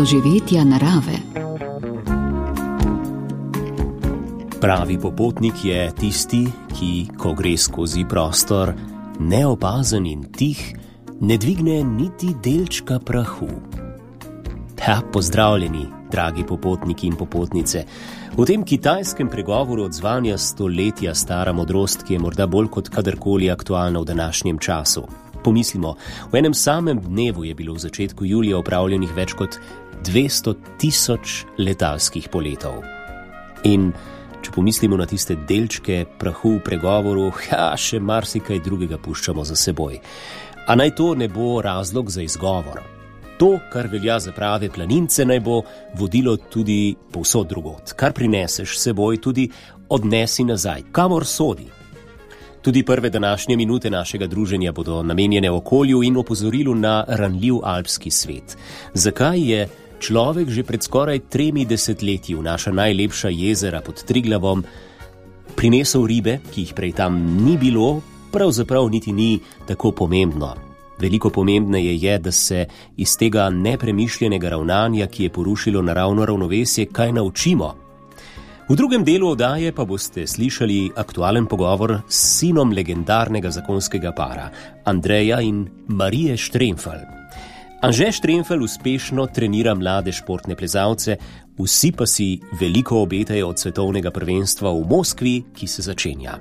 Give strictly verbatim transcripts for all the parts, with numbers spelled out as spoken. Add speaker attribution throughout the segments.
Speaker 1: doživetja narave.
Speaker 2: Pravi popotnik je tisti, ki, ko gre skozi prostor, neopazen in tih, ne dvigne niti delčka prahu. Ja, pozdravljeni, dragi popotniki in popotnice. V tem kitajskem pregovoru odzvanja stoletja stara modrost, ki je morda bolj kot kadarkoli aktualna v današnjem času. Pomislimo, v enem samem dnevu je bilo v začetku julija opravljenih več kot dvesto tisoč letalskih poletov. In če pomislimo na tiste delčke prahu v pregovoru, ja, še marsikaj drugega puščamo za seboj. A naj to ne bo razlog za izgovor. To, kar velja za prave planince, naj bo vodilo tudi povsod drugod. Kar prineseš seboj, tudi odnesi nazaj, kamor sodi. Tudi prve današnje minute našega druženja bodo namenjene okolju in opozorilu na ranljiv alpski svet. Zakaj je človek že pred skoraj tremi desetletji v naša najlepša jezera pod Triglavom prinesel ribe, ki jih prej tam ni bilo, pravzaprav niti ni tako pomembno. Veliko pomembneje je, da se iz tega nepremišljenega ravnanja, ki je porušilo naravno ravnovesje, kaj naučimo. V drugem delu oddaje pa boste slišali aktualen pogovor s sinom legendarnega zakonskega para, Andreja in Marije Štremfelj. Anže Štremfelj uspešno trenira mlade športne plezalce, vsi pa si veliko obetajo od svetovnega prvenstva v Moskvi, ki se začenja.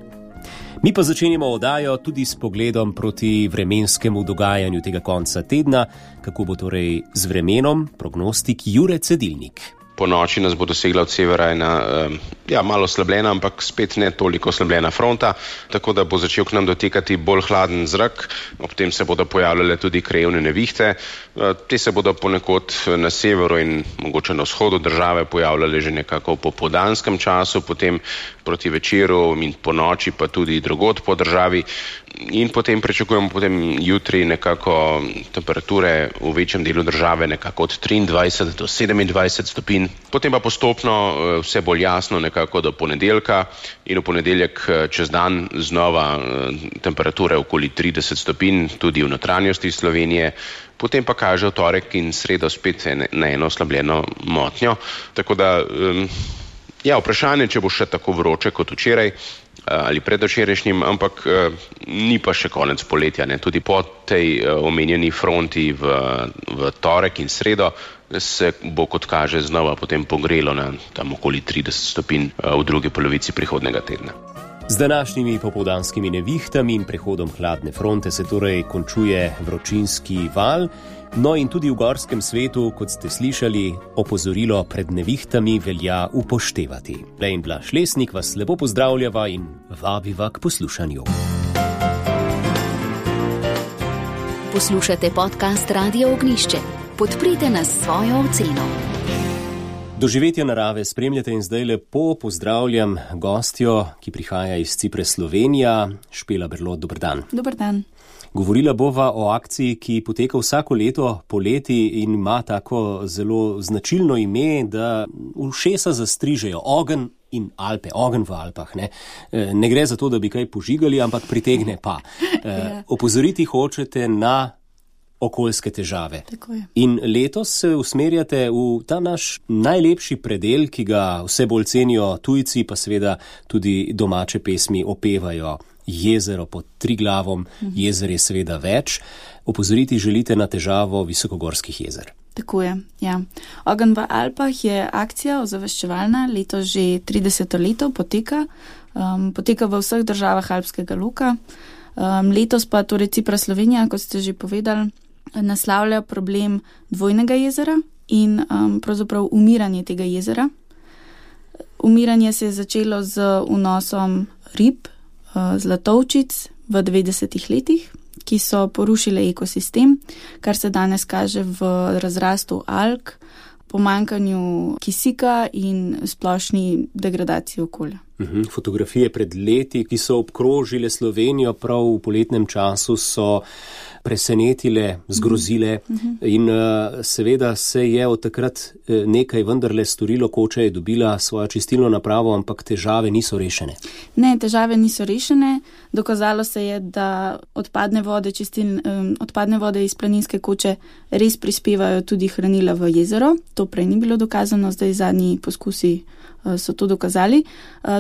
Speaker 2: Mi pa začenjamo oddajo tudi s pogledom proti vremenskemu dogajanju tega konca tedna, kako bo torej z vremenom prognostik Jure Cedilnik.
Speaker 3: Po noči nas bo dosegla od severa ena ja, malo slabljena, ampak spet ne toliko slabljena fronta, tako da bo začel k nam dotekati bolj hladen zrak, ob tem se bodo pojavljale tudi krajevne nevihte. Te se bodo ponekod na severu in mogoče na vzhodu države pojavljale že nekako po popoldanskem času, potem proti večeru in po noči pa tudi drugod po državi. In potem pričakujemo potem jutri nekako temperature v večjem delu države nekako od triindvajset do sedemindvajset stopinj. Potem pa postopno vse bolj jasno nekako do ponedeljka in v ponedeljek čez dan znova temperature okoli trideset stopinj tudi v notranjosti Slovenije. Potem pa kaže v torek in sredo spet na eno oslabljeno motnjo. Tako da, ja, vprašanje, če bo še tako vroče kot včeraj ali predvčerajšnjim, ampak ni pa še konec poletja. Ne. Tudi po tej omenjeni fronti v, v torek in sredo se bo, kot kaže, znova potem pogrelo na tam okoli trideset stopinj v drugi polovici prihodnega tedna.
Speaker 2: Z današnjimi popoldanskimi nevihtami in prehodom hladne fronte se torej končuje vročinski val, no in tudi v gorskem svetu, kot ste slišali, opozorilo pred nevihtami velja upoštevati. Lejn Blaž Lesnik vas lepo pozdravljava in vabiva k poslušanju.
Speaker 1: Poslušate podcast Radio Ognjišče. Podprite nas s svojo oceno.
Speaker 2: Doživetja narave spremljate in zdaj lepo pozdravljam gostjo, ki prihaja iz Cipre, Slovenija, Špela Berlot. Dober dan.
Speaker 4: Dober dan.
Speaker 2: Govorila bova o akciji, ki poteka vsako leto poleti in ima tako zelo značilno ime, da ušesa zastrižejo ogenj in Alpe, ogenj v Alpah. Ne, ne gre za to, da bi kaj požigali, ampak pritegne pa. Ja. Opozoriti hočete na okoljske težave.
Speaker 4: Tako je.
Speaker 2: In letos se usmerjate v ta naš najlepši predel, ki ga vse bolj cenijo tujci, pa seveda tudi domače pesmi opevajo. Jezero pod Triglavom, mhm. Jezer je seveda več. Opozoriti želite na težavo visokogorskih jezer.
Speaker 4: Tako je, ja. Ogenj v Alpah je akcija ozaveščevalna, letos že trideseto leto poteka. Um, poteka v vseh državah alpskega loka. Um, letos pa torej Cipra, Slovenija, kot ste že povedali, naslavlja problem dvojnega jezera in um, pravzaprav umiranje tega jezera. Umiranje se je začelo z vnosom rib, uh, zlatovčic v devetdesetih letih, ki so porušile ekosistem, kar se danes kaže v razrastu alg, pomanjkanju kisika in splošni degradaciji okolja.
Speaker 2: Uhum, fotografije pred leti, ki so obkrožile Slovenijo prav v poletnem času, so presenetile, zgrozile in seveda se je od takrat nekaj vendarle storilo. Koča je dobila svojo čistilno napravo, ampak težave niso rešene.
Speaker 4: Ne, težave niso rešene. Dokazalo se je, da odpadne vode, čistil, odpadne vode iz Planinske Koče res prispevajo tudi hranila v jezero. To prej ni bilo dokazano, zdaj zadnji poskusi so to dokazali.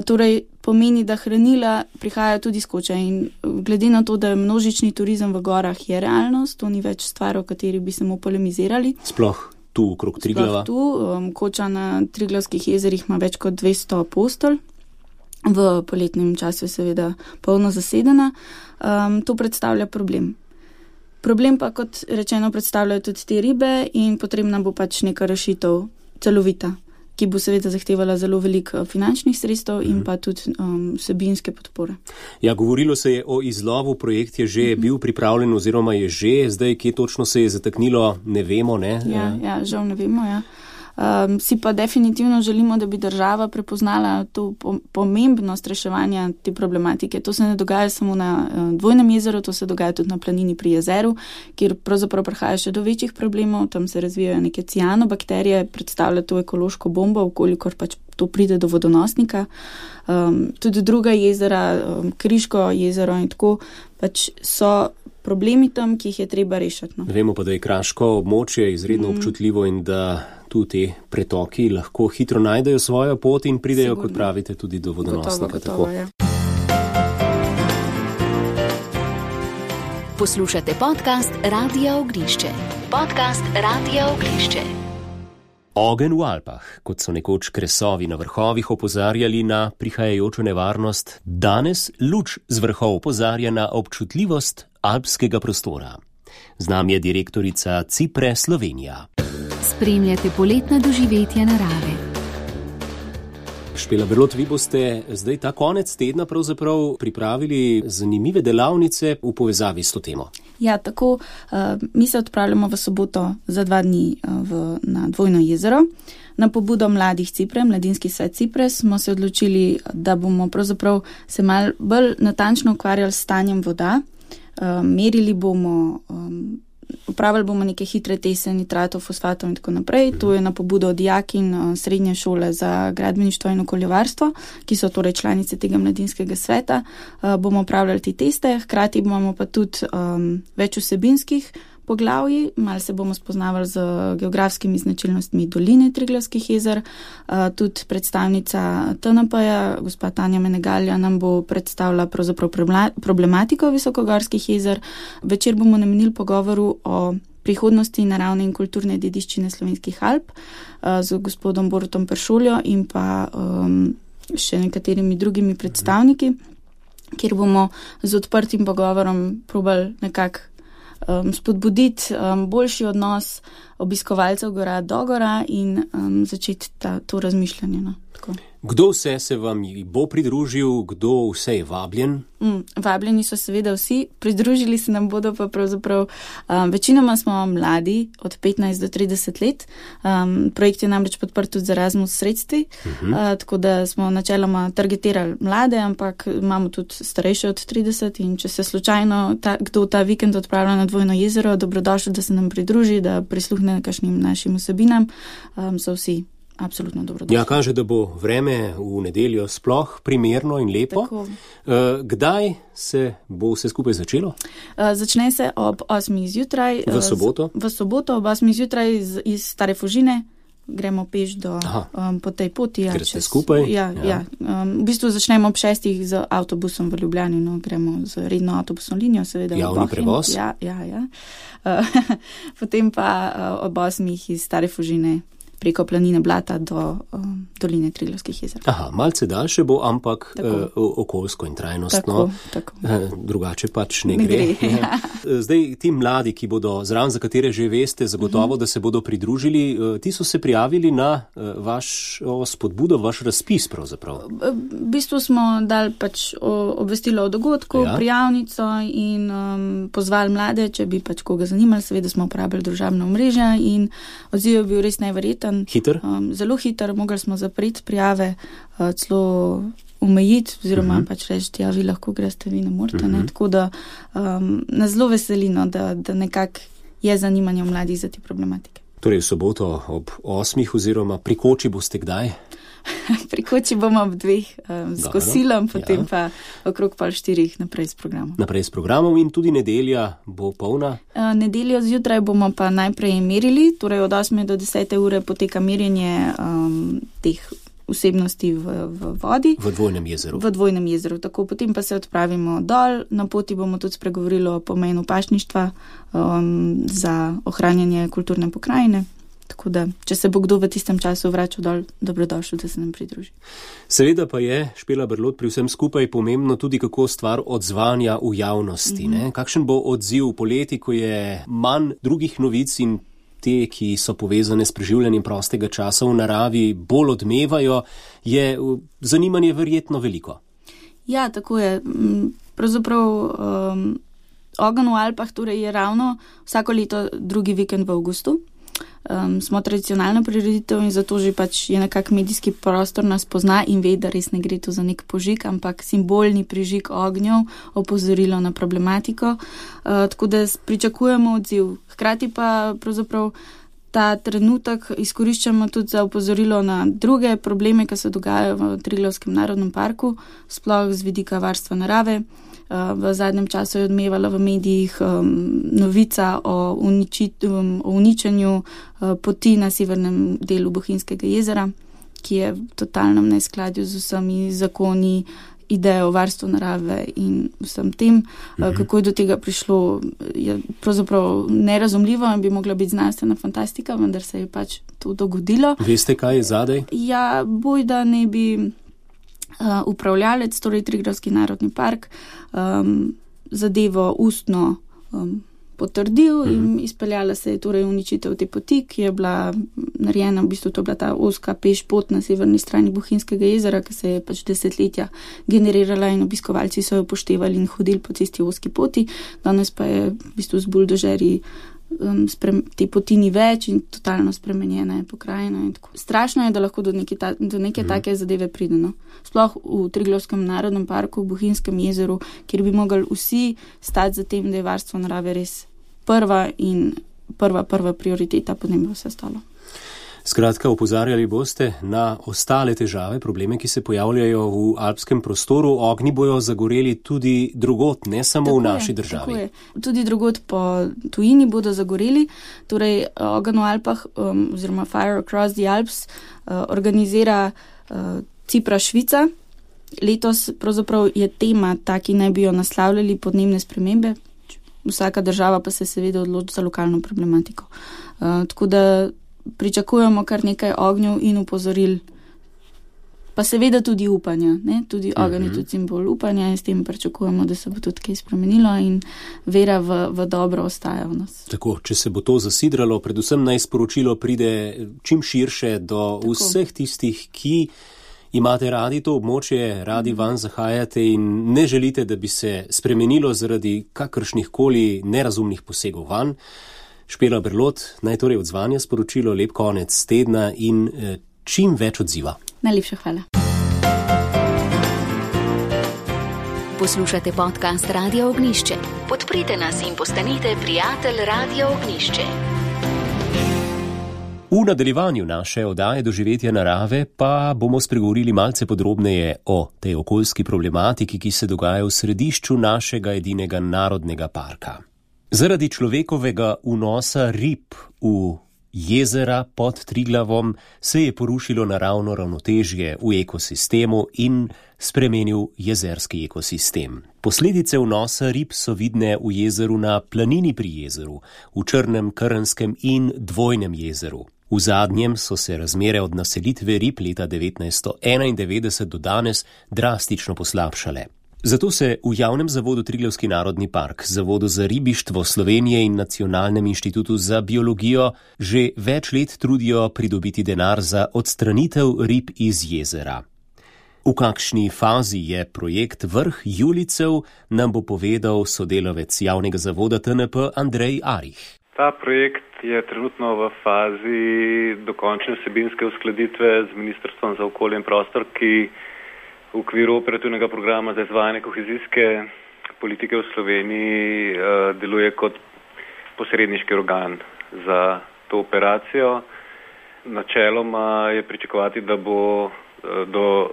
Speaker 4: Torej pomeni, da hranila prihajajo tudi z Koče in glede na to, da je množični turizem v gorah je realnost, to ni več stvar, o kateri bi se mu polemizirali.
Speaker 2: Sploh tu okrog Triglava.
Speaker 4: Sploh tu, Koča na Triglavskih jezerih ima več kot dvesto postelj. V poletnem času je seveda polno zasedena. Um, to predstavlja problem. Problem pa, kot rečeno, predstavljajo tudi te ribe in potrebna bo pač neka rešitev celovita, ki bo seveda zahtevala zelo veliko finančnih sredstev in pa tudi um, vsebinske podpore.
Speaker 2: Ja, govorilo se je o izlovu, projekt je že bil pripravljen oziroma je že, zdaj kje točno se je zataknilo, ne vemo, ne?
Speaker 4: Ja, ja žal ne vemo, ja. Um, si pa definitivno želimo, da bi država prepoznala to pomembnost reševanja te problematike. To se ne dogaja samo na uh, Dvojnem jezeru, to se dogaja tudi na planini pri jezeru, kjer pravzaprav prihaja še do večjih problemov, tam se razvijajo neke cianobakterije, predstavlja to ekološko bombo, vkolikor pač to pride do vodonosnika. Um, tudi druga jezera, um, Kriško jezero in tako, pač so problemi tam, ki jih je treba rešiti. No.
Speaker 2: Vemo pa, da je kraško območje izredno mm. občutljivo in da tu te pretoki lahko hitro najdejo svojo pot in pridejo, Sigurno. Kot pravite, tudi do vodonosnika.
Speaker 4: Gotovo, gotovo, ja.
Speaker 1: Poslušate podcast Radia Ognišče. Podcast Radia Ognišče.
Speaker 2: Ogenj v Alpah, kot so nekoč kresovi na vrhovih opozarjali na prihajajočo nevarnost, danes luč z vrhov opozarja na občutljivost alpskega prostora. Z nami je direktorica Cipre Slovenija.
Speaker 1: Spremljate poletna doživetja narave.
Speaker 2: Špela Berlot, vi boste zdaj ta konec tedna pravzaprav pripravili zanimive delavnice v povezavi s to temo.
Speaker 4: Ja, tako. Uh, mi se odpravljamo v soboto za dva dni uh, v, na Dvojno jezero. Na pobudo mladih Cipre, Mladinski svet Cipre, smo se odločili, da bomo pravzaprav se malo bolj natančno ukvarjali s stanjem voda. Uh, merili bomo, um, upravili bomo neke hitre teste nitratov, fosfatov in tako naprej. To je na pobudo dijakinj uh, srednje šole za gradbeništvo in okoljevarstvo, ki so torej članice tega mladinskega sveta. Uh, bomo upravljali te teste, hkrati imamo pa tudi um, več vsebinskih poglavji, malo se bomo spoznavali z geografskimi značilnostmi doline Triglavskih jezer. Uh, tudi predstavnica T N P-ja, gospa Tanja Menegalja, nam bo predstavila pravzaprav problematiko visokogorskih jezer. Večer bomo namenili pogovoru o prihodnosti naravne in kulturne dediščine Slovenskih Alp uh, z gospodom Borutom Peršoljo in pa um, še nekaterimi drugimi predstavniki, kjer bomo z odprtim pogovorom probali nekako Um, spodbuditi um, boljši odnos obiskovalcev gora do gora in um, začeti ta, to razmišljanje. No, tako.
Speaker 2: Kdo vse se vam bo pridružil, kdo vse je vabljen?
Speaker 4: Mm, vabljeni so seveda vsi, pridružili se nam bodo pa pravzaprav, um, večinoma smo mladi, od petnajst do trideset let. Um, projekt je namreč podprt tudi z Erasmus sredstvi, uh-huh. uh, tako da smo načeloma targetirali mlade, ampak imamo tudi starejše od trideset in če se slučajno ta, kdo ta vikend odpravlja na Dvojno jezero, dobrodošli, da se nam pridruži, da prisluhne kakšnim našim vsebinam, um, so vsi absolutno dobrodošli.
Speaker 2: Ja, kaže, da bo vreme v nedeljo sploh primerno in lepo. Uh, kdaj se bo vse skupaj začelo?
Speaker 4: Uh, začne se ob osmih zjutraj.
Speaker 2: V soboto?
Speaker 4: Z, v soboto ob osmih zjutraj iz, iz Stare Fužine. Gremo peš do, um, po tej poti. Ja,
Speaker 2: ker ste skupaj?
Speaker 4: Ja, ja. ja. Um, v bistvu začnemo ob šestih z avtobusom v Ljubljani, no, gremo z redno avtobusno linijo, seveda.
Speaker 2: Javni prevoz?
Speaker 4: Ja, ja, ja. Uh, potem pa uh, ob osmih iz Stare Fužine preko planine Blata do um, doline Triglavskih jezer.
Speaker 2: Aha, malce daljše bo, ampak uh, okoljsko in trajnostno.
Speaker 4: Tako, tako.
Speaker 2: Uh, drugače pač ne, ne gre. gre ja. Zdaj, ti mladi, ki bodo zraven, za katere že veste, zagotovo, mm-hmm. da se bodo pridružili, uh, ti so se prijavili na uh, vaš o, spodbudo, vaš razpis pravzaprav.
Speaker 4: V bistvu smo dali pač obvestilo o dogodku, ja. prijavnico in um, pozvali mlade, če bi pač koga zanimali, seveda smo uporabljali družabna omrežja in odziv je bil res neverjeten.
Speaker 2: Hiter?
Speaker 4: Um, zelo hiter, mogli smo zapreti prijave, uh, celo omejiti, oziroma uh-huh. pač reči, ja, vi lahko greste, vi ne morete. Uh-huh. Ne? Tako da um, nas zelo veselino, da, da nekako je zanimanje mladih za te problematike.
Speaker 2: Torej v soboto ob osmih oziroma pri koči boste kdaj?
Speaker 4: Pri koči bomo ob dveh um, s kosilom, potem ja. pa okrog pol štirih naprej s programom.
Speaker 2: Naprej s programom in tudi nedelja bo polna?
Speaker 4: Uh, nedeljo zjutraj bomo pa najprej merili, torej od osme do desete ure poteka merjenje um, teh vsebnosti v, v vodi.
Speaker 2: V Dvojnem jezeru.
Speaker 4: V Dvojnem jezeru. Tako, potem pa se odpravimo dol, na poti bomo tudi spregovorili o pomenu pašništva um, za ohranjanje kulturne pokrajine. Tako da, če se bo kdo v tistem času vračal dol, dobrodošel, da se nam pridruži. Seveda
Speaker 2: pa je, Špela Berlot, pri vsem skupaj pomembno tudi, kako stvar odzvanja v javnosti. Mm-hmm. Ne? Kakšen bo odziv poleti, ko je manj drugih novic in te, ki so povezane s preživljanjem prostega časa v naravi, bolj odmevajo, je zanimanje verjetno veliko.
Speaker 4: Ja, tako je. Pravzaprav um, Ogenj v Alpah torej je ravno vsako leto drugi vikend v avgustu. Um, smo tradicionalna prireditev in zato že pač je nekak medijski prostor nas pozna in ve, da res ne gre to za nek požig, ampak simbolni prižig ognjev, opozorilo na problematiko. Uh, tako da pričakujemo odziv. Hkrati pa pravzaprav ta trenutek izkoriščamo tudi za opozorilo na druge probleme, ki se dogajajo v Triglavskem narodnem parku, sploh z vidika varstva narave. V zadnjem času je odmevala v medijih um, novica o, uničit, um, o uničenju uh, poti na severnem delu Bohinjskega jezera, ki je v totalnem neskladju z vsemi zakoni, idejo o varstvu narave in vsem tem. Mhm. Uh, kako je do tega prišlo, je pravzaprav nerazumljivo in bi mogla biti znanstvena fantastika, vendar se je pač to dogodilo.
Speaker 2: Veste, kaj je zadaj?
Speaker 4: Ja, bojda ne bi... Uh, upravljalec, torej Triglavski narodni park, um, zadevo ustno um, potrdil uh-huh. in izpeljala se je torej uničitev te poti, ki je bila narejena, v bistvu to je bila ta oska peš pot na severni strani Bohinjskega jezera, ki se je pač desetletja generirala in obiskovalci so jo upoštevali in hodili po tisti oski poti. Danes pa je v bistvu z buldožerji Um, sprem, te poti ni več in totalno spremenjena je pokrajina. In tako. Strašno je, da lahko do neke, ta, do neke mm. take zadeve pride. No? Sploh v Triglavskem narodnem parku, v Bohinjskem jezeru, kjer bi mogli vsi stati za tem, da je varstvo narave res prva in prva, prva prioriteta, potem bo vse stalo.
Speaker 2: Skratka, opozarjali boste na ostale težave, probleme, ki se pojavljajo v alpskem prostoru. Ognji bojo zagoreli tudi drugot, ne samo tako v naši je, državi.
Speaker 4: Tako je. Tudi drugot po tujini bodo zagoreli. Torej, Ogenj v Alpah, um, oziroma Fire Across the Alps, uh, organizira uh, Cipra Švica. Letos pravzaprav je tema ta, ki naj bi jo naslavljali podnebne spremembe. Vsaka država pa se seveda odloči za lokalno problematiko. Uh, tako da pričakujemo kar nekaj ognjev in upozoril, pa seveda tudi upanja. Ne? Tudi ogenj je tudi simbol upanja in s tem pričakujemo, da se bo tudi kaj spremenilo in vera v, v dobro ostaja v nas.
Speaker 2: Tako, če se bo to zasidralo, predvsem naj sporočilo pride čim širše do Tako. Vseh tistih, ki imate radi to območje, radi van zahajate in ne želite, da bi se spremenilo zaradi kakršnih koli nerazumnih posegov van. Špela Berlot, naj torej odzvanja sporočilo, lep konec tedna in eh, čim več odziva.
Speaker 4: Najlepša hvala.
Speaker 1: Poslušate podcast Radio Ognjišče. Podprite nas in postanite prijatelj Radio Ognjišče.
Speaker 2: V nadaljevanju naše oddaje Doživetja narave pa bomo spregovorili malce podrobneje o tej okoljski problematiki, ki se dogaja v središču našega edinega narodnega parka. Zaradi človekovega vnosa rib v jezera pod Triglavom se je porušilo naravno ravnotežje v ekosistemu in spremenil jezerski ekosistem. Posledice vnosa rib so vidne v jezeru na Planini pri jezeru, v Črnem, Krnskem in Dvojnem jezeru. V zadnjem so se razmere od naselitve rib leta devetnajststo enaindevetdeset do danes drastično poslabšale. Zato se v javnem zavodu Triglavski narodni park, Zavodu za ribištvo Slovenije in Nacionalnem inštitutu za biologijo že več let trudijo pridobiti denar za odstranitev rib iz jezera. V kakšni fazi je projekt Vrh Julicev, nam bo povedal sodelavec javnega zavoda T N P Andrej Arih.
Speaker 5: Ta projekt je trenutno v fazi dokončne vsebinske uskladitve z Ministrstvom za okolje in prostor, ki v okviru operativnega programa za izvajanje kohezijske politike v Sloveniji uh, deluje kot posredniški organ za to operacijo. Načeloma je pričakovati, da bo do,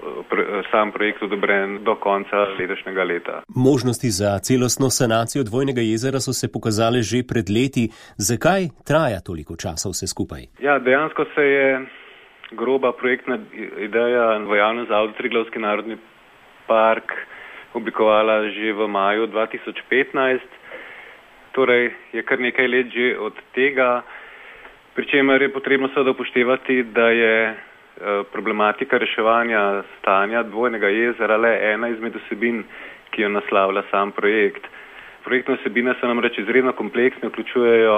Speaker 5: sam projekt odobren do konca letošnjega leta.
Speaker 2: Možnosti za celostno sanacijo Dvojnega jezera so se pokazale že pred leti. Zakaj traja toliko časa vse skupaj?
Speaker 5: Ja, dejansko se je groba projektna ideja v javnem zavodu Triglavski narodni park oblikovala že v maju dva tisoč petnajst. Torej je kar nekaj let že od tega, pri čemer je potrebno seveda upoštevati, da je problematika reševanja stanja Dvojnega jezera le ena izmed vsebin, ki jo naslavlja sam projekt. Projektne vsebine so namreč izredno kompleksne, vključujejo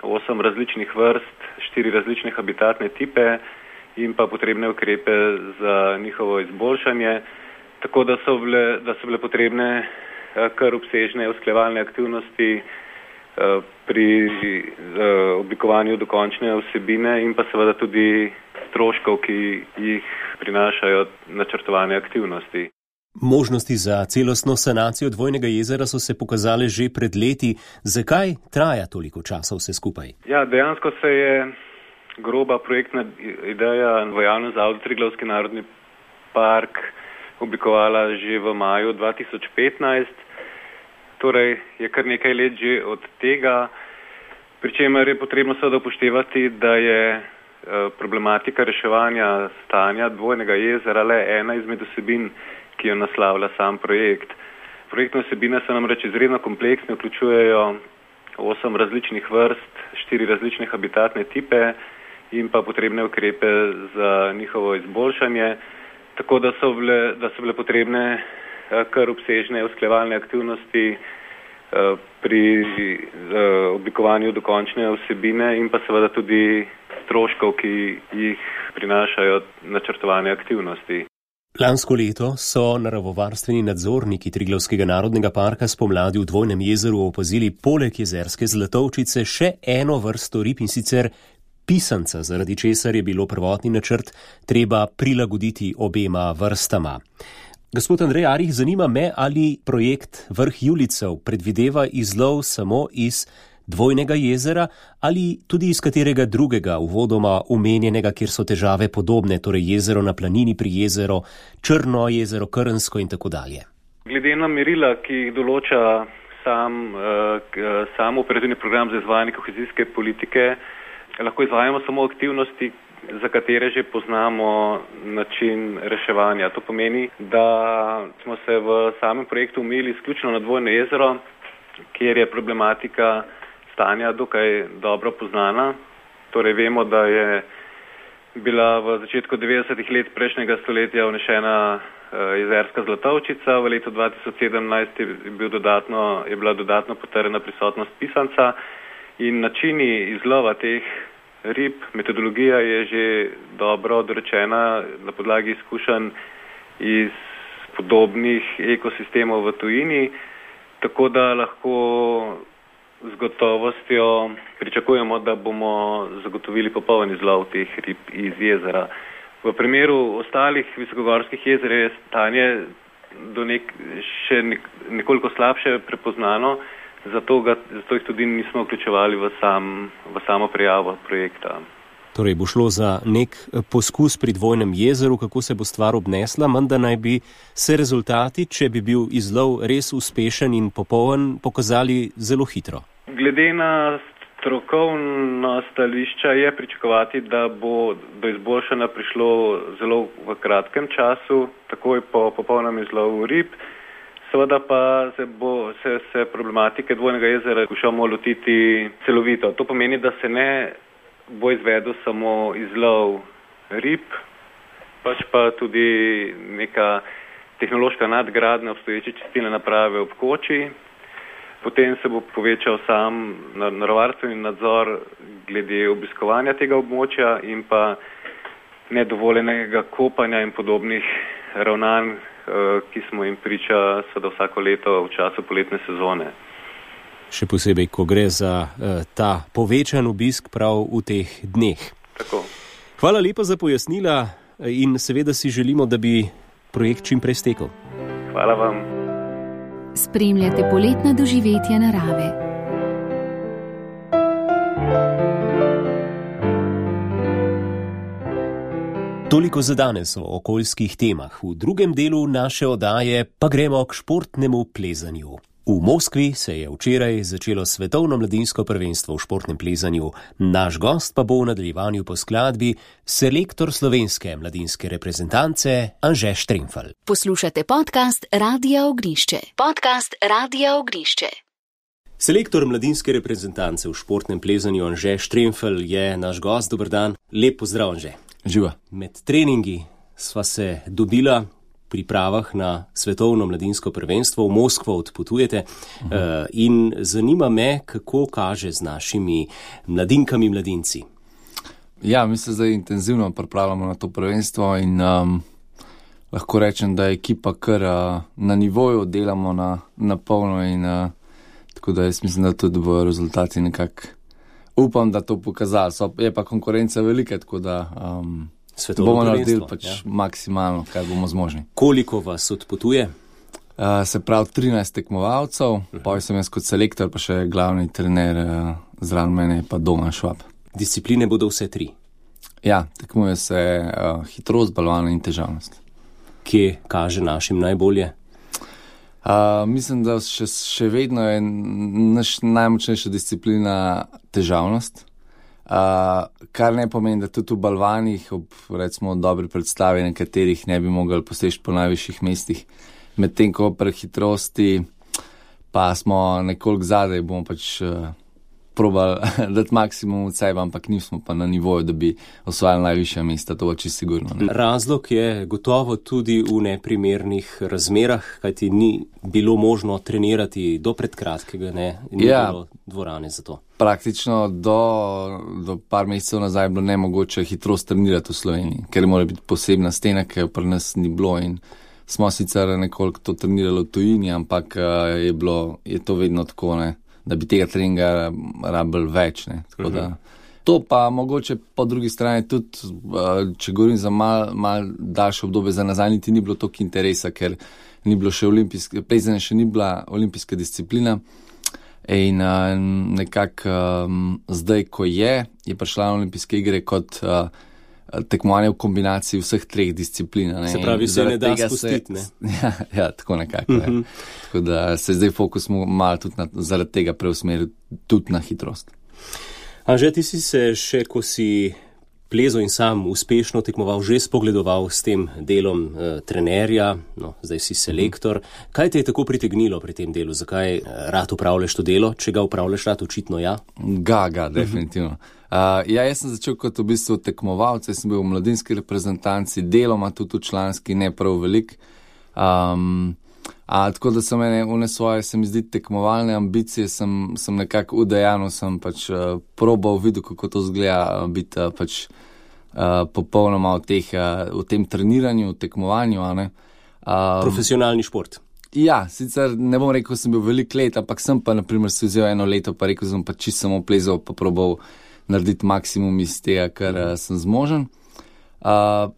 Speaker 5: osem različnih vrst, štiri različne habitatne tipe in pa potrebne ukrepe za njihovo izboljšanje, tako da so bile, da so bile potrebne kar obsežne usklajevalne aktivnosti pri oblikovanju dokončne vsebine in pa seveda tudi stroškov, ki jih prinašajo načrtovane aktivnosti.
Speaker 2: Možnosti za celostno sanacijo Dvojnega jezera so se pokazale že pred leti. Zakaj traja toliko časa vse skupaj?
Speaker 5: Ja, dejansko se je groba projektna ideja v javnem zavodu Triglavski narodni park oblikovala že v maju dva tisoč petnajst. Torej je kar nekaj let že od tega, pri čemer je potrebno seveda upoštevati, da je problematika reševanja stanja Dvojnega jezera le ena izmed vsebin, ki jo naslavlja sam projekt. Projektne vsebine so namreč izredno kompleksne, vključujejo osem različnih vrst, štiri različne habitatne tipe in pa potrebne ukrepe za njihovo izboljšanje, tako da so bile, da so bile potrebne kar obsežne usklajevalne aktivnosti pri oblikovanju dokončne vsebine in pa seveda tudi stroškov, ki jih prinašajo načrtovane aktivnosti.
Speaker 2: Lansko leto so naravovarstveni nadzorniki Triglavskega narodnega parka spomladi v Dvojnem jezeru opazili poleg jezerske zlatovčice še eno vrsto rib, in sicer pisanca, zaradi česar je bilo prvotni načrt treba prilagoditi obema vrstama. Gospod Andrej Arih, zanima me, ali projekt Vrh Julijcev predvideva izlov samo iz Dvojnega jezera ali tudi iz katerega drugega uvodoma omenjenega, kjer so težave podobne, torej jezero na planini pri jezero, Črno jezero, Krnsko in tako dalje.
Speaker 5: Glede na merila, ki jih določa sam, sam operativni program za izvajanje kohezijske politike, lahko izvajamo samo aktivnosti, za katere že poznamo način reševanja. To pomeni, da smo se v samem projektu omejili izključno na Dvojno jezero, kjer je problematika stanja dokaj dobro poznana. Torej vemo, da je bila v začetku devetdesetih let prejšnjega stoletja vnešena jezerska zlatovčica, v letu dva tisoč sedemnajst je, bil dodatno, je bila dodatno potrjena prisotnost pisanca in načini izlova teh rib, metodologija je že dobro dorečena na podlagi izkušenj iz podobnih ekosistemov v tujini, tako da lahko z gotovostjo pričakujemo, da bomo zagotovili popoln izlov teh rib iz jezera. V primeru ostalih visokogorskih jezer je stanje do nek, še nek, nekoliko slabše prepoznano, zato, ga, zato jih tudi nismo vključevali v, sam, v samo prijavo projekta.
Speaker 2: Torej bo šlo za nek poskus pri Dvojnem jezeru, kako se bo stvar obnesla, menda naj bi se rezultati, če bi bil izlov res uspešen in popoln, pokazali zelo hitro.
Speaker 5: Glede na strokovna stališča je pričakovati, da bo do izboljšanja prišlo zelo v kratkem času, takoj po popolnem izlovu rib. Seveda pa se bo se, se problematike Dvojnega jezera skušamo lotiti celovito. To pomeni, da se ne bo izvedel samo izlov rib, pač pa tudi neka tehnološka nadgradnja obstoječe čistilne naprave ob koči. Potem se bo povečal sam naravovarstveni nadzor glede obiskovanja tega območja in pa nedovoljenega kopanja in podobnih ravnanj, ki smo jim priča seveda vsako leto v času poletne sezone.
Speaker 2: Še posebej, ko gre za uh, ta povečan obisk prav v teh dneh.
Speaker 5: Tako.
Speaker 2: Hvala lepa za pojasnila in seveda si želimo, da bi projekt čim prej stekel.
Speaker 5: Hvala vam.
Speaker 1: Spremljate poletna doživetja narave.
Speaker 2: Toliko za danes o okoljskih temah. V drugem delu naše oddaje pa gremo k športnemu plezanju. V Moskvi se je včeraj začelo svetovno mladinsko prvenstvo v športnem plezanju. Naš gost pa bo v nadaljevanju po skladbi selektor slovenske mladinske reprezentance Anže Štremfelj.
Speaker 1: Poslušate podcast Radia Ognišče. Podcast Radia Ognišče.
Speaker 2: Selektor mladinske reprezentance v športnem plezanju Anže Štremfelj je naš gost. Dober dan. Lep pozdrav, Anže.
Speaker 6: Živa.
Speaker 2: Med treningi sva se dobila v pripravah na svetovno mladinsko prvenstvo. V Moskvo odpotujete uh-huh. uh, in zanima me, kako kaže z našimi mladinkami mladinci.
Speaker 6: Ja, mi se zdaj intenzivno pripravljamo na to prvenstvo in um, lahko rečem, da je ekipa kar uh, na nivoju, delamo na, na polno in uh, tako da jaz mislim, da tudi bojo rezultati nekako. Upam, da to pokazali. So, je pa konkurenca velika, tako da um, bomo naredili pač ja. maksimalno, kar bomo zmožni.
Speaker 2: Koliko vas odpotuje?
Speaker 6: Uh, se pravi trinajst tekmovalcev, uh-huh. pa sem jaz kot selektor, pa še glavni trener uh, zraven mene, pa Domen Švab.
Speaker 2: Discipline bodo vse tri?
Speaker 6: Ja, tekmuje se uh, hitrost, balvan in težavnost.
Speaker 2: Kje kaže našim najbolje?
Speaker 6: Uh, mislim, da še, še vedno je naš najmočnejša disciplina težavnost, uh, kar ne pomeni, da tudi v balvanih ob recimo dobri predstavi nekaterih ne bi mogli poseči po najvišjih mestih, medtem ko pri hitrosti pa smo nekoliko zadaj, bomo pač uh, probali dati maksimum od sebe, ampak nismo pa na nivoju, da bi osvajali najvišja mesta, to je čisto sigurno. Ne?
Speaker 2: Razlog je gotovo tudi v neprimernih razmerah, kajti ni bilo možno trenirati do predkratkega, ne, ni ja, bilo dvorane za to.
Speaker 6: Praktično do, do par mesecev nazaj je bilo nemogoče hitrost trenirati v Sloveniji, ker mora biti posebna stena, ki jo pri nas ni bilo in smo sicer nekoliko to trenirali v tujini, ampak je, bilo, je to vedno tako, ne, da bi tega treninga rabili več. Ne. Tako da, to pa mogoče po drugi strani tudi, če govorim za mal, mal daljše obdobje za nazaj, niti ni bilo toliko interesa, ker ni bilo še olimpijske, plezanje še ni bila olimpijska disciplina in nekako zdaj, ko je, je prišla na olimpijske igre kot tekmovanje v kombinaciji vseh treh disciplin. Ne?
Speaker 2: Se pravi, se ne da spustiti, ne?
Speaker 6: Ja, ja, tako nekako. Uh-huh. Tako da se zdaj fokus malo tudi na, zaradi tega preusmeril tudi na hitrost.
Speaker 2: Anže, ti si se še, ko si plezal in sam uspešno tekmoval, že spogledoval s tem delom eh, trenerja, no, zdaj si selektor. Uh-huh. Kaj te je tako pritegnilo pri tem delu? Zakaj rad upravljaš to delo? Če ga upravljaš rad, očitno ja?
Speaker 6: Ga, ga, definitivno. Uh-huh. Uh, ja, jaz sem začel kot v bistvu tekmovalc, jaz sem bil v mladinski reprezentanci, deloma tudi v članski, ne prav velik. Um, a, tako da so mene une svoje, se mi zdi, tekmovalne ambicije, sem, sem nekako udejanil, sem pač uh, probal videl, kako to zgleda, biti uh, pač uh, popolnoma v, teh, uh, v tem treniranju, v tekmovanju. A ne? Um,
Speaker 2: Profesionalni šport.
Speaker 6: Ja, sicer ne bom rekel, sem bil velik let, ampak sem pa naprimer si vzel eno leto, pa rekel sem pa čisto samo plezal, pa probal narediti maksimum iz tega, kar uh, sem zmožen. Uh,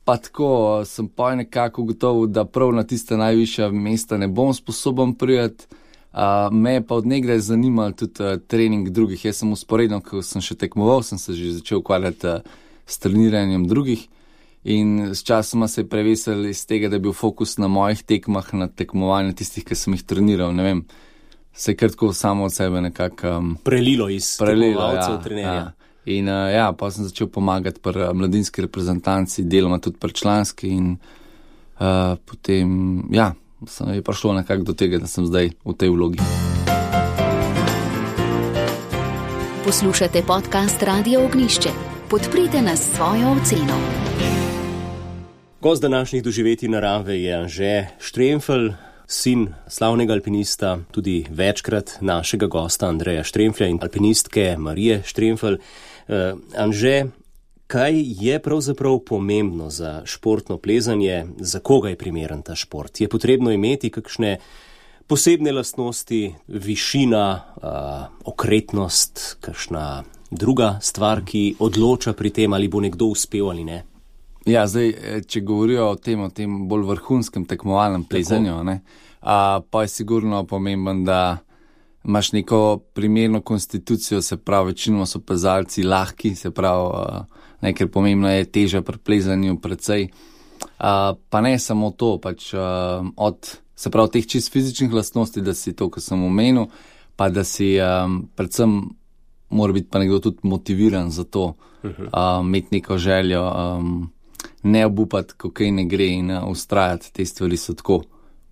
Speaker 6: pa tako sem pa nekako ugotovil, da prav na tiste najvišja mesta ne bom sposoben prijeti. Uh, me je pa od nekdaj zanimal tudi uh, trening drugih. Jaz sem usporedno, ko sem še tekmoval, sem se že začel ukvarjati uh, s treniranjem drugih in s časoma se je prevesil iz tega, da je bil fokus na mojih tekmah, na tekmovanju tistih, ki sem jih treniral, ne vem. Se je krtko samo od sebe nekako um,
Speaker 2: prelilo iz tekmovalcev,
Speaker 6: ja,
Speaker 2: trenerja.
Speaker 6: Ja. In uh, ja, pa sem začel pomagati pri mladinski reprezentanci, deloma tudi pri članski in uh, potem, ja, sem je prišlo nekako do tega, da sem zdaj v tej vlogi.
Speaker 1: Poslušate podcast Radia Ognišče. Podprite nas s svojo oceno.
Speaker 2: Gost današnjih doživetij narave je Anže Štremfelj, sin slavnega alpinista, tudi večkrat našega gosta Andreja Štremflja in alpinistke Marije Štremfelj. Uh, Anže, kaj je pravzaprav pomembno za športno plezanje, za koga je primeren ta šport? Je potrebno imeti kakšne posebne lastnosti, višina, uh, okretnost, kakšna druga stvar, ki odloča pri tem, ali bo nekdo uspel ali ne?
Speaker 6: Ja, zdaj, če govorijo o tem, o tem bolj vrhunskem tekmovalnem plezanju, ne, a, pa je sigurno pomemben, da imaš neko primerno konstitucijo, se pravi, večinoma so plezalci lahki, se pravi, ne, ker pomembno je teža pri plezanju precej. A, pa ne samo to, pač a, od, se pravi, teh čist fizičnih lastnosti, da si to, kar sem omenil, pa da si a, predvsem mora biti pa nekdo tudi motiviran za to, uh-huh. a, imeti neko željo, a, ne obupati, ko kaj ne gre in a, ustrajati, te stvari so tako.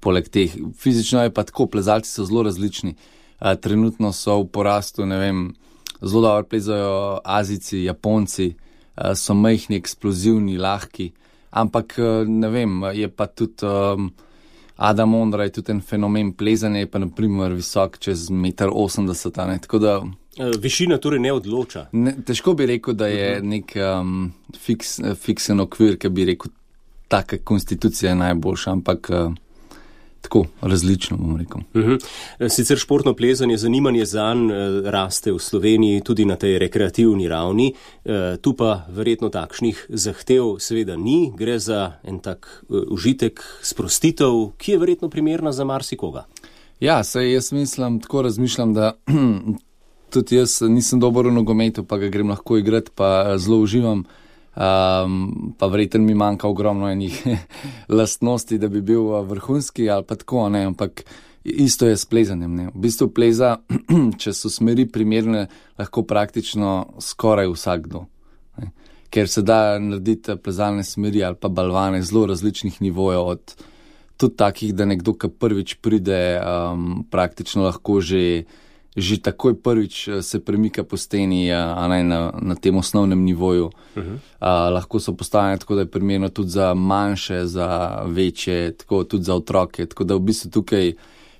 Speaker 6: Poleg teh, fizično je pa tako, plezalci so zelo različni. A, trenutno so v porastu, ne vem, zelo dobro plezajo Azijci, Japonci, a, so majhni, eksplozivni, lahki, ampak, ne vem, je pa tudi um, Adam Ondra je tudi en fenomen plezanja, je pa naprimer visok čez meter osemdeset, ne, tako da...
Speaker 2: Višina torej ne odloča.
Speaker 6: Ne, težko bi rekel, da je nek um, fiks, fiksen okvir, ki bi rekel, taka konstitucija je najboljša, ampak uh, tako različno, bom rekel.
Speaker 2: Uh-huh. Sicer športno plezanje, zanimanje zanj uh, raste v Sloveniji tudi na tej rekreativni ravni, uh, tu pa verjetno takšnih zahtev seveda ni, gre za en tak uh, užitek, sprostitev, ki je verjetno primerna za marsikoga.
Speaker 6: Ja, saj jaz mislim, tako razmišljam, da tudi jaz nisem dober v nogometu, pa ga grem lahko igrati, pa zelo uživam, um, pa verjetno mi manjka ogromno enih lastnosti, da bi bil vrhunski ali pa tako, ne, ampak isto je s plezanjem, ne. V bistvu pleza, če so smeri primerne, lahko praktično skoraj vsakdo, ne. Ker se da narediti plezalne smeri ali pa balvane zelo različnih nivojev, od tudi takih, da nekdo, ki prvič pride, um, praktično lahko že že takoj prvič se premika po steni, a ne na, na tem osnovnem nivoju. Uh-huh. A, lahko so postavljene tako, da je primerno tudi za manjše, za večje, tako tudi za otroke. Tako da v bistvu tukaj,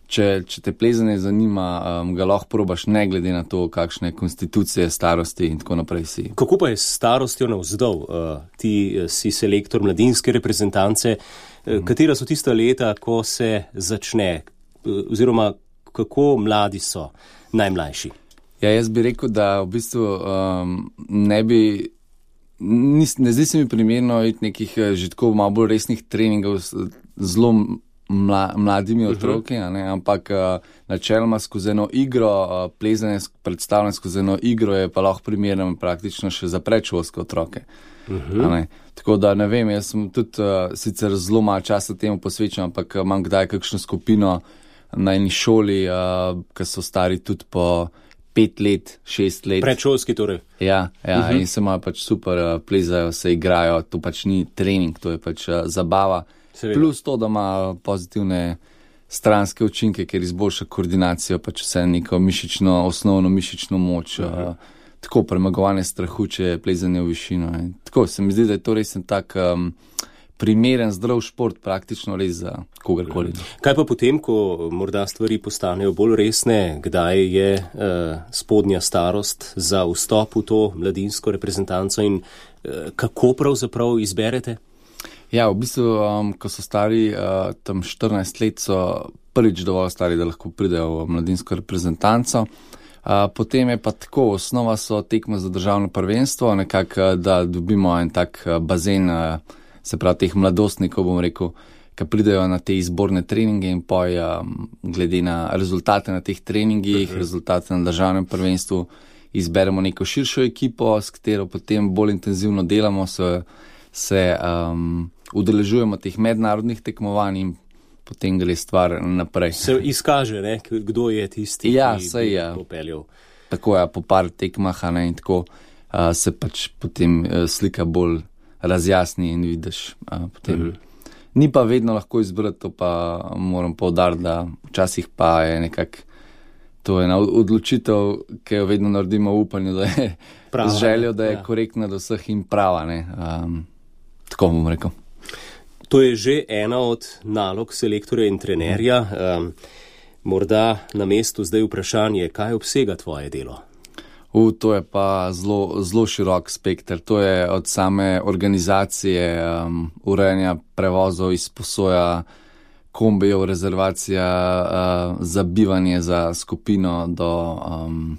Speaker 6: če, če te plezanje zanima, um, ga lahko probaš ne glede na to, kakšne konstitucije, starosti in tako naprej si.
Speaker 2: Kako pa je s starostjo navzdol? Uh, ti uh, si selektor mladinske reprezentance. Uh, uh-huh. Katera so tista leta, ko se začne? Uh, oziroma, kako mladi so? Najmlajši.
Speaker 6: Ja, jaz bi rekel, da v bistvu um, ne bi, nis, ne zdi se mi primerno iti nekih že tako malo bolj resnih treningov z zelo mla, mladimi otroki, uh-huh. ne, ampak uh, načeloma skozi eno igro, uh, plezanje predstavljeno skozi eno igro je pa lahko primerno praktično še za predšolske otroke. Uh-huh. Ne. Tako da ne vem, jaz sem tudi uh, sicer zelo malo časa temu posvečen, ampak imam kdaj kakšno skupino na eni šoli, uh, ki so stari tudi po pet let, šest let.
Speaker 2: Predšolski torej.
Speaker 6: Ja, ja uh-huh. in se imajo pač super, uh, plezajo, se igrajo, to pač ni trening, to je pač uh, zabava. Seveda. Plus to, da ima pozitivne stranske učinke, ker izboljša koordinacijo, pač vse neko mišično, osnovno mišično moč, uh-huh. uh, tako premagovanje strahu, če je plezanje v višino. In tako se mi zdi, da je to res en tak um, primeren, zdrav šport, praktično res za kogarkoli.
Speaker 2: Kaj pa potem, ko morda stvari postanejo bolj resne, kdaj je uh, spodnja starost za vstop v to mladinsko reprezentanco in uh, kako pravzaprav izberete?
Speaker 6: Ja, v bistvu, um, ko so stari uh, tam štirinajst let, so prvič dovolj stari, da lahko pridejo v mladinsko reprezentanco. Uh, potem je pa tako, osnova so tekme za državno prvenstvo, nekako, da dobimo en tak uh, bazen, uh, se pravi teh mladostnikov, bom rekel, ki pridejo na te izborne treninge in poj, um, glede na rezultate na teh treningih, uh-huh. rezultate na državnem prvenstvu, izberemo neko širšo ekipo, s katero potem bolj intenzivno delamo, se, se um, udeležujemo teh mednarodnih tekmovanj in potem gre stvar naprej.
Speaker 2: Se izkaže, ne, kdo je tisti,
Speaker 6: ja,
Speaker 2: ki
Speaker 6: bi
Speaker 2: ja. popeljal.
Speaker 6: Tako je, po par tekmah, ne, in tako uh, se pač potem uh, slika bolj razjasni in vidiš uh, potem. Uh-huh. Ni pa vedno lahko izbrati, to pa moram poudariti, da včasih pa je nekako to ena odločitev, ki jo vedno naredimo v upanju, da je prava, z željo, da je ja. korektna do vseh in prava, ne. Um, tako bom rekel.
Speaker 2: To je že ena od nalog selektorja in trenerja. Um, morda na mestu zdaj vprašanje, kaj obsega tvoje delo?
Speaker 6: U, to je pa zelo, zelo širok spekter. To je od same organizacije, um, urejanja prevozov, izposoja kombijev, rezervacija uh, za bivanje za skupino do um,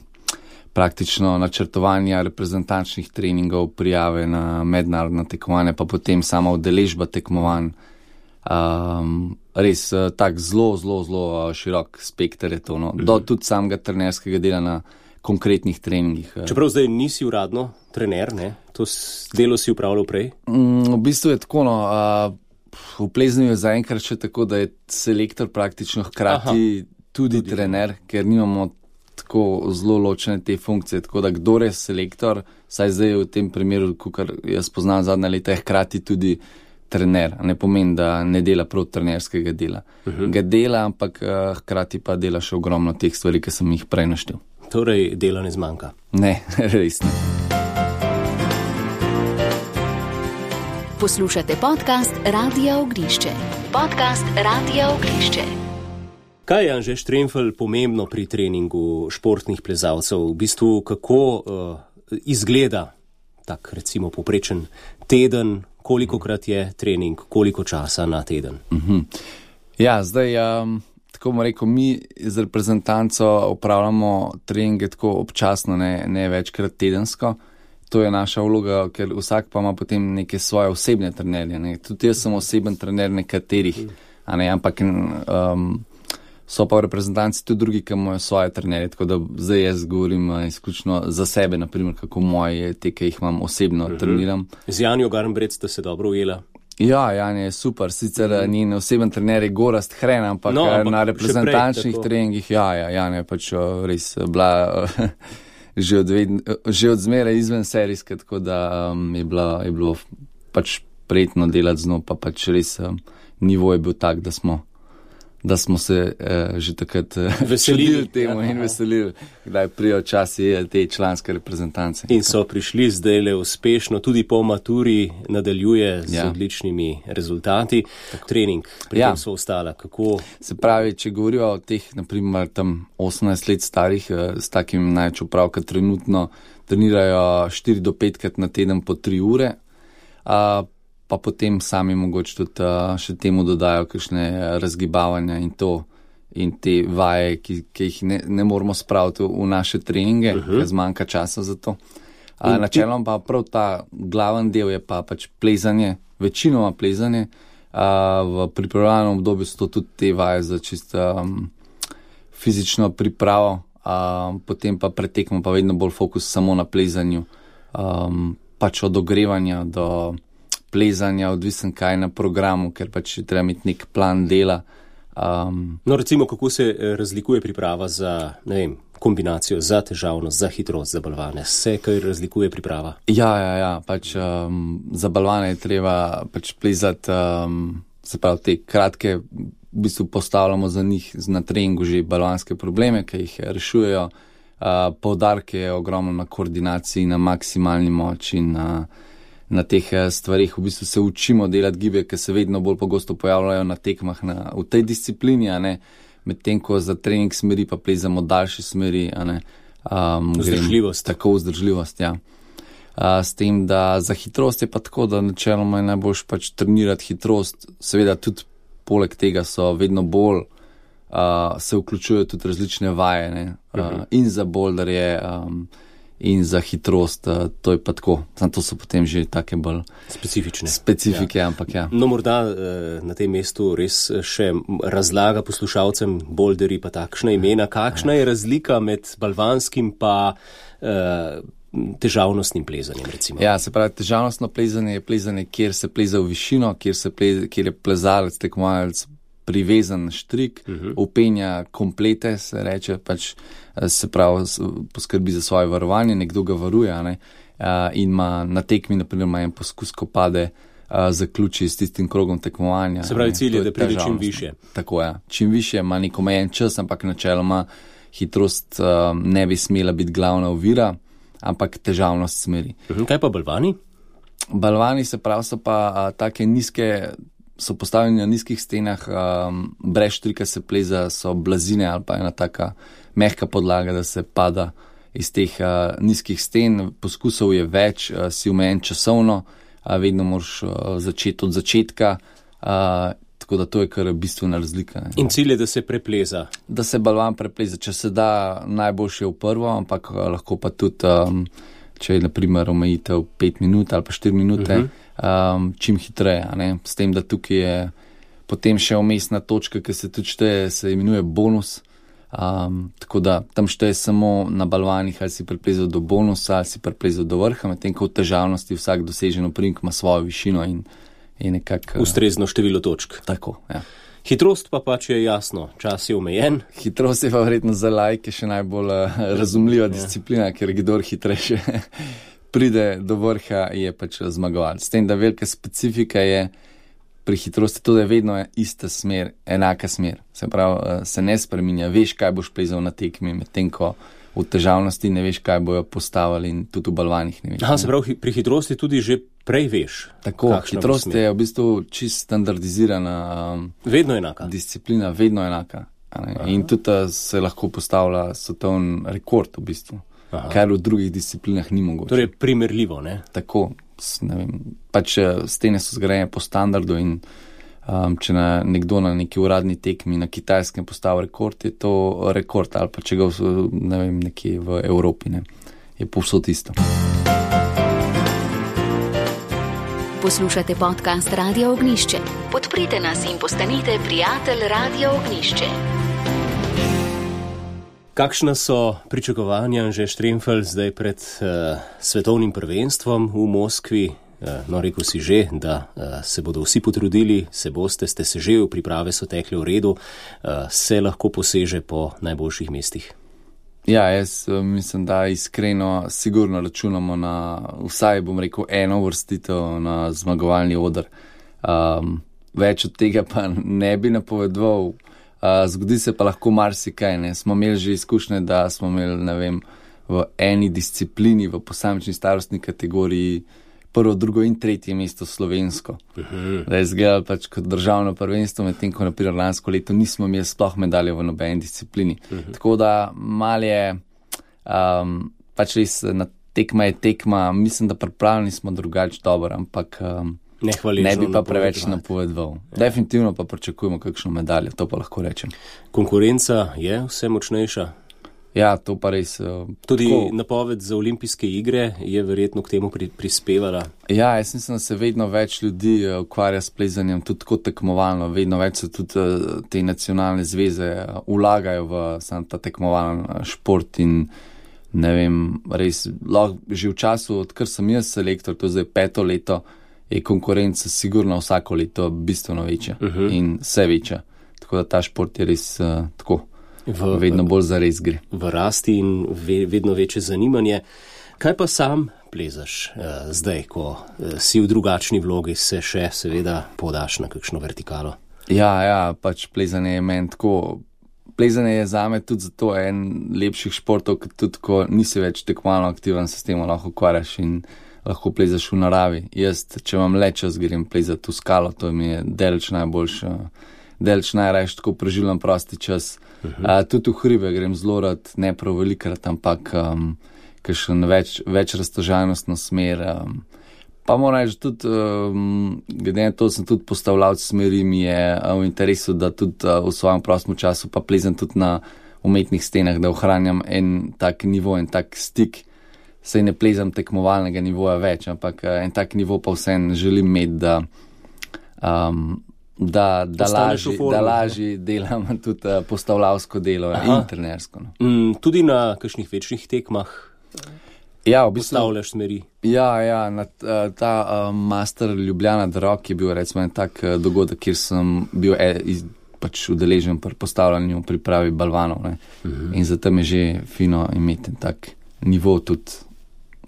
Speaker 6: praktično načrtovanja reprezentančnih treningov, prijave na mednarodna tekmovanja, pa potem sama udeležba tekmovanj. Um, res uh, tak zelo, zelo, zelo uh, širok spekter je to, no. Do tudi samega trenerskega dela na konkretnih treningih.
Speaker 2: Čeprav zdaj nisi uradno trener, ne? To delo si upravljal prej?
Speaker 6: Mm, v bistvu je tako, no, uh, v plezanju je zaenkrat še tako, da je selektor praktično hkrati Aha, tudi, tudi trener, ker nimamo tako zelo ločene te funkcije, tako da kdor je selektor, saj zdaj v tem primeru, kar jaz poznam zadnja leta, je hkrati tudi trener. Ne pomeni, da ne dela prav trenerskega dela. Uh-huh. Ga dela, ampak uh, hkrati pa dela še ogromno teh stvari, ki sem jih prej naštel.
Speaker 2: Torej, dela ne zmanjka?
Speaker 6: Ne, res ne.
Speaker 1: Poslušate podcast Radia Ognišče. Podcast Radia Ognišče.
Speaker 2: Kaj je, Anže Štremfelj, pomembno pri treningu športnih plezalcev? V bistvu, kako uh, izgleda tak, recimo, poprečen teden, kolikokrat je trening, koliko časa na teden?
Speaker 6: Uh-huh. Ja, zdaj, um, tako bom rekel, mi z reprezentanco upravljamo treninge tako občasno, ne, ne večkrat tedensko. To je naša vloga, ker vsak pa ima potem neke svoje osebne trenerje. Ne. Tudi jaz sem oseben trener nekaterih, a ne, ampak um, so pa v reprezentanci tudi drugi, ki imajo svoje trenerje, tako da zdaj jaz govorim uh, izključno za sebe, naprimer, kako moje te, ki jih imam osebno uh-huh. treniram.
Speaker 2: Z Janjo Garnbret sta se dobro ujela?
Speaker 6: Ja, Janja je super, sicer uh-huh. njen oseben trener je Gorazd Hren, ampak, no, ampak na reprezentančnih prej, treningih, ja, ja, Janja je pač uh, res bila uh, že, od ved, uh, že od zmeraj izven serijske, tako da um, je, bila, je bilo pač prijetno delati z njo, pa pač res um, nivo je bil tak, da smo da smo se uh, že takrat uh, veselili temu ja, in veselili, kdaj prijo časi te članske reprezentance.
Speaker 2: In so prišli zdaj le uspešno, tudi po maturi nadaljuje z ja. odličnimi rezultati. Tako. Trening, pri ja. tem so ostala. Kako?
Speaker 6: Se pravi, če govorijo o teh, naprimer, tam osemnajst let starih, uh, s takim največ opravka trenutno trenirajo štiri do petkrat na teden po tri ure, uh, pa potem sami mogoče tudi uh, še temu dodajo kakšne razgibavanja in to, in te vaje, ki, ki jih ne, ne moramo spraviti v naše treninge, uh-huh. ker zmanjka časa za to. Uh, načelom pa prav ta glaven del je pa pač plezanje, večinoma plezanje, uh, v pripravljalnem obdobju so to tudi te vaje za čisto um, fizično pripravo, uh, potem pa pretekmo pa vedno bolj fokus samo na plezanju, um, pač od ogrevanja do plezanja, odvisen kaj na programu, ker pač treba imeti nek plan dela. Um,
Speaker 2: no, recimo, kako se razlikuje priprava za, ne vem, kombinacijo, za težavnost, za hitrost, za balvane? Se kaj razlikuje priprava?
Speaker 6: Ja, ja, ja, pač um, za balvane je treba pač plezati, um, se pravi, te kratke, v bistvu postavljamo za njih na treningu že balvanske probleme, ki jih rešujejo. Uh, poudarke je ogromno na koordinaciji, na maksimalni moči, na na teh stvarih, v bistvu se učimo delati gibe, ki se vedno bolj pogosto pojavljajo na tekmah na, v tej disciplini, a ne, medtem ko za trening smeri pa plezamo daljše smeri, a ne. Um,
Speaker 2: vzdržljivost.
Speaker 6: Grem, tako vzdržljivost, ja. Uh, s tem, da za hitrost je pa tako, da načeloma je najboljš pač trenirati hitrost, seveda tudi poleg tega so vedno bolj, uh, se vključujejo tudi različne vaje, ne, uh, uh-huh. in za boulderje, um, in za hitrost, to je pa tako. Sam to so potem že take bolj
Speaker 2: specifične
Speaker 6: specifike,
Speaker 2: ja.
Speaker 6: ampak ja.
Speaker 2: No, morda na tem mestu res še razlaga poslušalcem boulderi pa takšna imena. Kakšna je razlika med balvanskim pa uh, težavnostnim plezanjem, recimo?
Speaker 6: Ja, se pravi, težavnostno plezanje je plezanje, kjer se pleza v višino, kjer, se pleza, kjer je plezalec, tekmovalec privezan na štrik, uh-huh. upenja komplete, se reče, pač se pravi, poskrbi za svoje varovanje, nekdo ga varuje, ne, in ima na tekmi, naprimer, ima en poskus, ko pade, zaključi s tistim krogom tekmovanja.
Speaker 2: Se pravi, cilj je, da pride čim više.
Speaker 6: Tako je, čim više, ima nek omejen čas, ampak načeloma hitrost ne bi smela biti glavna ovira, ampak težavnost smeri.
Speaker 2: Uh-huh. Kaj pa balvani?
Speaker 6: Balvani, se pravi, so pa a, take nizke, so postavljeni na nizkih stenah, um, brez štrika se pleza, so blazine ali pa ena taka mehka podlaga, da se pada iz teh uh, nizkih sten. Poskusov je več, uh, si omejen časovno, uh, vedno moraš uh, začeti od začetka, uh, tako da to je kar bistvena razlika. Ne.
Speaker 2: In cilj je, da se prepleza.
Speaker 6: Da se balvan prepleza, če se da najboljše v prvo, ampak lahko pa tudi, um, če je naprimer omejitev pet minut ali pa štiri minute, uh-huh. um, čim hitreje, ne. S tem, da tukaj je potem še umestna točka, ki se tudi šteje, se imenuje bonus. Um, tako da tam šteje samo na balvanih, ali si preplezal do bonusa, ali si preplezal do vrha, medtem ko v težavnosti vsak dosežen oprimk ima svojo višino in je nekako
Speaker 2: ustrezno število točk.
Speaker 6: Tako, ja.
Speaker 2: Hitrost pa pač je jasno, čas je omejen.
Speaker 6: Hitrost je pa verjetno za laike še najbolj uh, razumljiva ja. disciplina, ker kdor hitrejše pride do vrha, je pač zmagovalec. S tem, da velika specifika je pri hitrosti to, da je vedno ista smer, enaka smer. Se pravi, se ne spreminja, veš, kaj boš plezal na tekmi, medtem ko v težavnosti ne veš, kaj bojo postavili in tudi v balvanih ne veš.
Speaker 2: Aha, se pravi, pri hitrosti tudi že prej veš.
Speaker 6: Tako, hitrost je v bistvu čist standardizirana um,
Speaker 2: vedno enaka.
Speaker 6: Disciplina, vedno enaka. In tudi se lahko postavlja svetovni rekord v bistvu, Aha. kar v drugih disciplinah ni mogoče.
Speaker 2: Torej primerljivo, ne?
Speaker 6: Tako. Ne vem, pač stene so zgrajene po standardu in um, če na nekdo na neki uradni tekmi na Kitajskem postavi rekord, je to rekord, ali pa če ga ne vem, nekje v Evropi, ne, je povsod isto.
Speaker 1: Poslušate podcast Radio Ognjišče. Podprite nas in postanite prijatelj Radio Ognjišče.
Speaker 2: Kakšna so pričakovanja, Anže Štremfelj, zdaj pred uh, svetovnim prvenstvom v Moskvi? Uh, no, rekel si že, da uh, se bodo vsi potrudili, se boste, ste se že, priprave so tekle v redu, uh, se lahko poseže po najboljših mestih.
Speaker 6: Ja, jaz uh, mislim, da iskreno sigurno računamo na vsaj, bom rekel, eno vrstitev na zmagovalni oder. Um, več od tega pa ne bi napovedoval. Uh, zgodi se pa lahko marsikaj, ne. Smo imeli že izkušnje, da smo imeli, ne vem, v eni disciplini, v posamični starostni kategoriji prvo, drugo in tretje mesto slovensko. Uh-huh. Da je izgledalo pač kot državno prvenstvo, medtem ko naprimer lansko leto nismo imeli sploh medalje v nobeni disciplini. Uh-huh. Tako da mal je, um, pač res na tekma je tekma, mislim, da pripravljeni smo drugače dobro, ampak um, Ne, ne bi pa preveč napovedoval. Ja. Definitivno pa pričakujemo kakšno medaljo, to pa lahko rečem.
Speaker 2: Konkurenca je vse močnejša?
Speaker 6: Ja, to pa res.
Speaker 2: Tudi
Speaker 6: tako,
Speaker 2: napoved za olimpijske igre je verjetno k temu pri, prispevala?
Speaker 6: Ja, jaz mislim, da se vedno več ljudi ukvarja s plezanjem, tudi kot tekmovalno. Vedno več se tudi te nacionalne zveze vlagajo v sam ta tekmovalen šport in ne vem, res, lahko že v času, odkar sem jaz selektor, to je zdaj peto leto, je konkurenca sigurno vsako leto bistveno večja uh-huh. in vse večja. Tako da ta šport je res uh, tako, v, vedno bolj zares gre.
Speaker 2: V rasti in ve, vedno večje zanimanje. Kaj pa sam plezaš uh, zdaj, ko uh, si v drugačni vlogi, se še seveda podaš na kakšno vertikalo?
Speaker 6: Ja, ja, pač plezanje je meni tako. Plezanje je zame tudi zato en lepših športov, ker tudi ko nisi več tekmovalno aktiven, se s tem lahko ukvarjaš in lahko plezaš v naravi. Jaz, če vam le čas grem plezati v skalo, to mi je deleč najboljše, deleč najrajš tako preživljam prosti čas. Uh-huh. Uh, tudi v hribe grem zelo rad, ne prav velikrat, ampak um, kakšen več, več raztežajnostno smer. Um, pa moram reči, tudi, um, glede na to sem tudi postavljal smeri, mi je uh, v interesu, da tudi uh, v svojem prostem času pa plezam tudi na umetnih stenah, da ohranjam en tak nivo, en tak stik. Sej ne plezam tekmovalnega nivoja več, ampak en tak nivo pa vsem želim imeti, da, um, da, da, lažji, da lažji delam tudi uh, postavljavsko delo Aha. in trenersko. No.
Speaker 2: Mm, tudi na kakšnih večjih tekmah
Speaker 6: ja, v bistvu,
Speaker 2: postavljaš smeri?
Speaker 6: Ja, ja na, uh, ta uh, Master Ljubljana Drog je bil recimo en tak uh, dogodek, kjer sem bil e, iz, pač udeležen pri postavljanju pripravi balvanov. Ne. Uh-huh. In zato mi je že fino imeti tak nivo tudi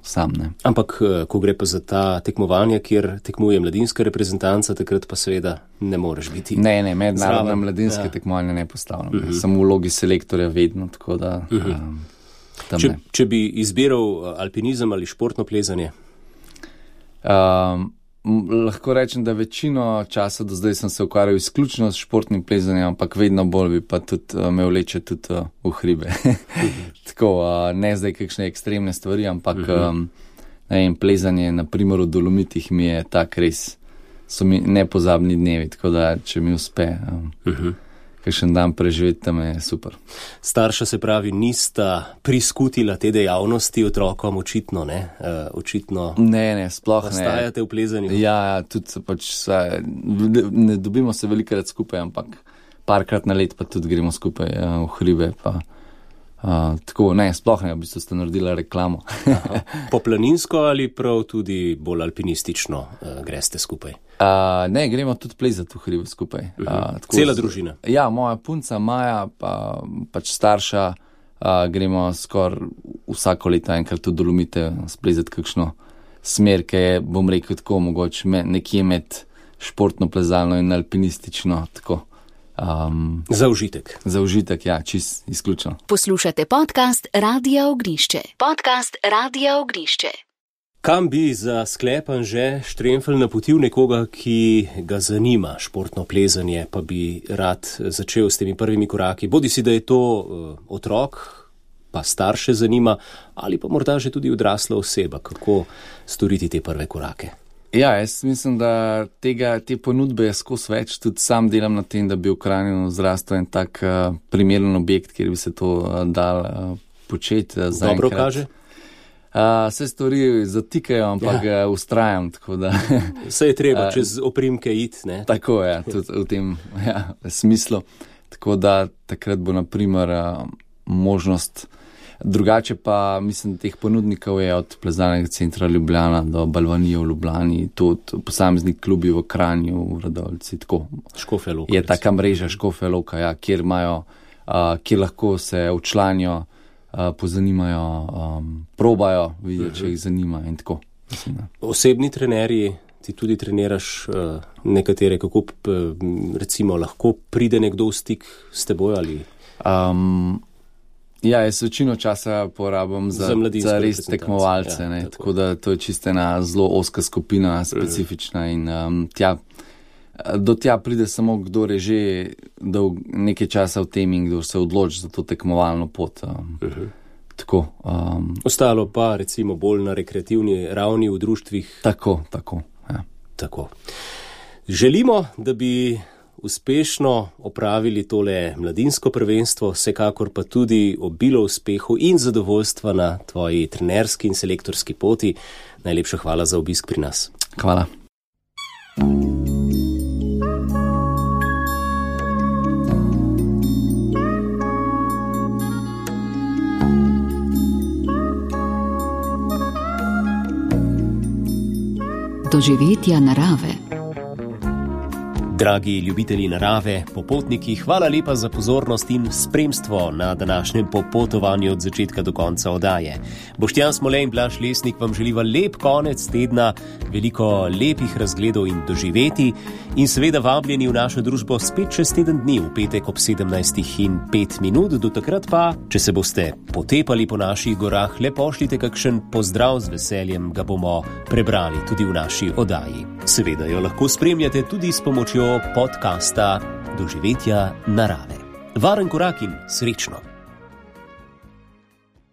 Speaker 6: sam, ne.
Speaker 2: Ampak, ko gre pa za ta tekmovanja, kjer tekmuje mladinska reprezentanca, takrat pa seveda ne moreš biti.
Speaker 6: Ne, ne, mednarodna mladinska ja. tekmovanja ne postavljam. Uh-huh. Sem v vlogi selektorja vedno, tako da uh-huh. um, tam
Speaker 2: če,
Speaker 6: ne.
Speaker 2: Če bi izbiral alpinizem ali športno plezanje?
Speaker 6: Um, lahko rečem, da večino časa do zdaj sem se ukvarjal izključno s športnim plezanjem, ampak vedno bolj bi pa tudi uh, me vleče tudi uh, v hribe. Tako, uh, ne zdaj kakšne ekstremne stvari, ampak uh-huh. um, ne vem, plezanje na primer v Dolomitih mi je tak res so mi nepozabni dnevi, tako da če mi uspe um, uh-huh. kakšen dan preživeti, tam je super.
Speaker 2: Starša se pravi, nista priskutila te dejavnosti otrokom, očitno, ne? Uh, očitno
Speaker 6: ne, ne, sploh ne.
Speaker 2: Ostajate v plezanju?
Speaker 6: Ja, ja, tudi pač sva, ne dobimo se velikrat skupaj, ampak parkrat na let pa tudi gremo skupaj uh, v hribe, pa uh, tako, ne, sploh ne, v bistvu ste naredila reklamo.
Speaker 2: Po planinsko ali prav tudi bolj alpinistično uh, greste skupaj?
Speaker 6: Uh, ne, gremo tudi plezati v hribe skupaj.
Speaker 2: Uh-huh. Uh, tako, Cela družina?
Speaker 6: Ja, moja punca Maja, pa pač starša, uh, gremo skoraj vsako leto enkrat v Dolomite splezati kakšno smer, ki je, bom rekel tako, mogoče me, nekje med športno plezalno in alpinistično, tako. Um,
Speaker 2: za užitek.
Speaker 6: Za užitek, ja, čist izključno.
Speaker 1: Poslušate podcast Radia Ognišče. Podcast Radia Ognišče.
Speaker 2: Kam bi za sklepan že Štremfelj napotil nekoga, ki ga zanima športno plezanje, pa bi rad začel s temi prvimi koraki? Bodi si, da je to uh, otrok, pa starše zanima, ali pa morda že tudi odrasla oseba, kako storiti te prve korake?
Speaker 6: Ja, jaz mislim, da tega, te ponudbe je skozi več. Tudi sam delam na tem, da bi v Kranju zrastel en tak uh, primeren objekt, kjer bi se to uh, dal uh, početi. Uh,
Speaker 2: Dobro kaže?
Speaker 6: Uh, vse stvari zatikajo, ampak ja. ustrajam, tako da...
Speaker 2: Vse je treba uh, čez oprimke iti, ne?
Speaker 6: Tako je, tudi v tem ja, smislu. Tako da takrat bo na primer uh, možnost... Drugače pa, mislim, teh ponudnikov je od plezalnega centra Ljubljana do Balvanije v Ljubljani, tudi posamezni klubi v Kranju, v Radovljici, tako.
Speaker 2: Škofja Loka.
Speaker 6: Je taka mreža Škofja Loka, ja, kjer imajo, uh, kjer lahko se včlanijo, uh, pozanimajo, um, probajo, vidijo, uh-huh. če jih zanima in tako. Mislim,
Speaker 2: osebni trenerji, ti tudi treniraš uh, nekatere, kako p, recimo lahko pride nekdo v stik s teboj ali...
Speaker 6: Um, Ja, jaz večino časa porabim za, za, za res tekmovalce, ja, ne, tako. tako da to je čisto ena zelo oska skupina, specifična in um, tja, do tja pride samo kdo je že dolg, nekaj časa v tem in kdo se odloči za to tekmovalno pot. Um, uh-huh. Tako. Um,
Speaker 2: Ostalo pa recimo bolj na rekreativni ravni v društvih.
Speaker 6: Tako, tako, ja.
Speaker 2: Tako. Želimo, da bi uspešno opravili tole mladinsko prvenstvo, vsekakor pa tudi obilo uspehu in zadovoljstva na tvoji trenerski in selektorski poti. Najlepša hvala za obisk pri nas.
Speaker 6: Hvala.
Speaker 1: Doživetja narave.
Speaker 2: Dragi ljubitelji narave, popotniki, hvala lepa za pozornost in spremstvo na današnjem popotovanju od začetka do konca oddaje. Boštjan Smole in Blaž Lesnik vam želiva lep konec tedna, veliko lepih razgledov in doživeti in seveda vabljeni v našo družbo spet čez teden dni v petek ob sedemnajstih in pet minut. Do takrat pa, če se boste potepali po naših gorah, le pošljite kakšen pozdrav, z veseljem ga bomo prebrali tudi v naši oddaji. Seveda jo lahko spremljate tudi s pomočjo podcasta Doživetja narave. Varen korak in srečno!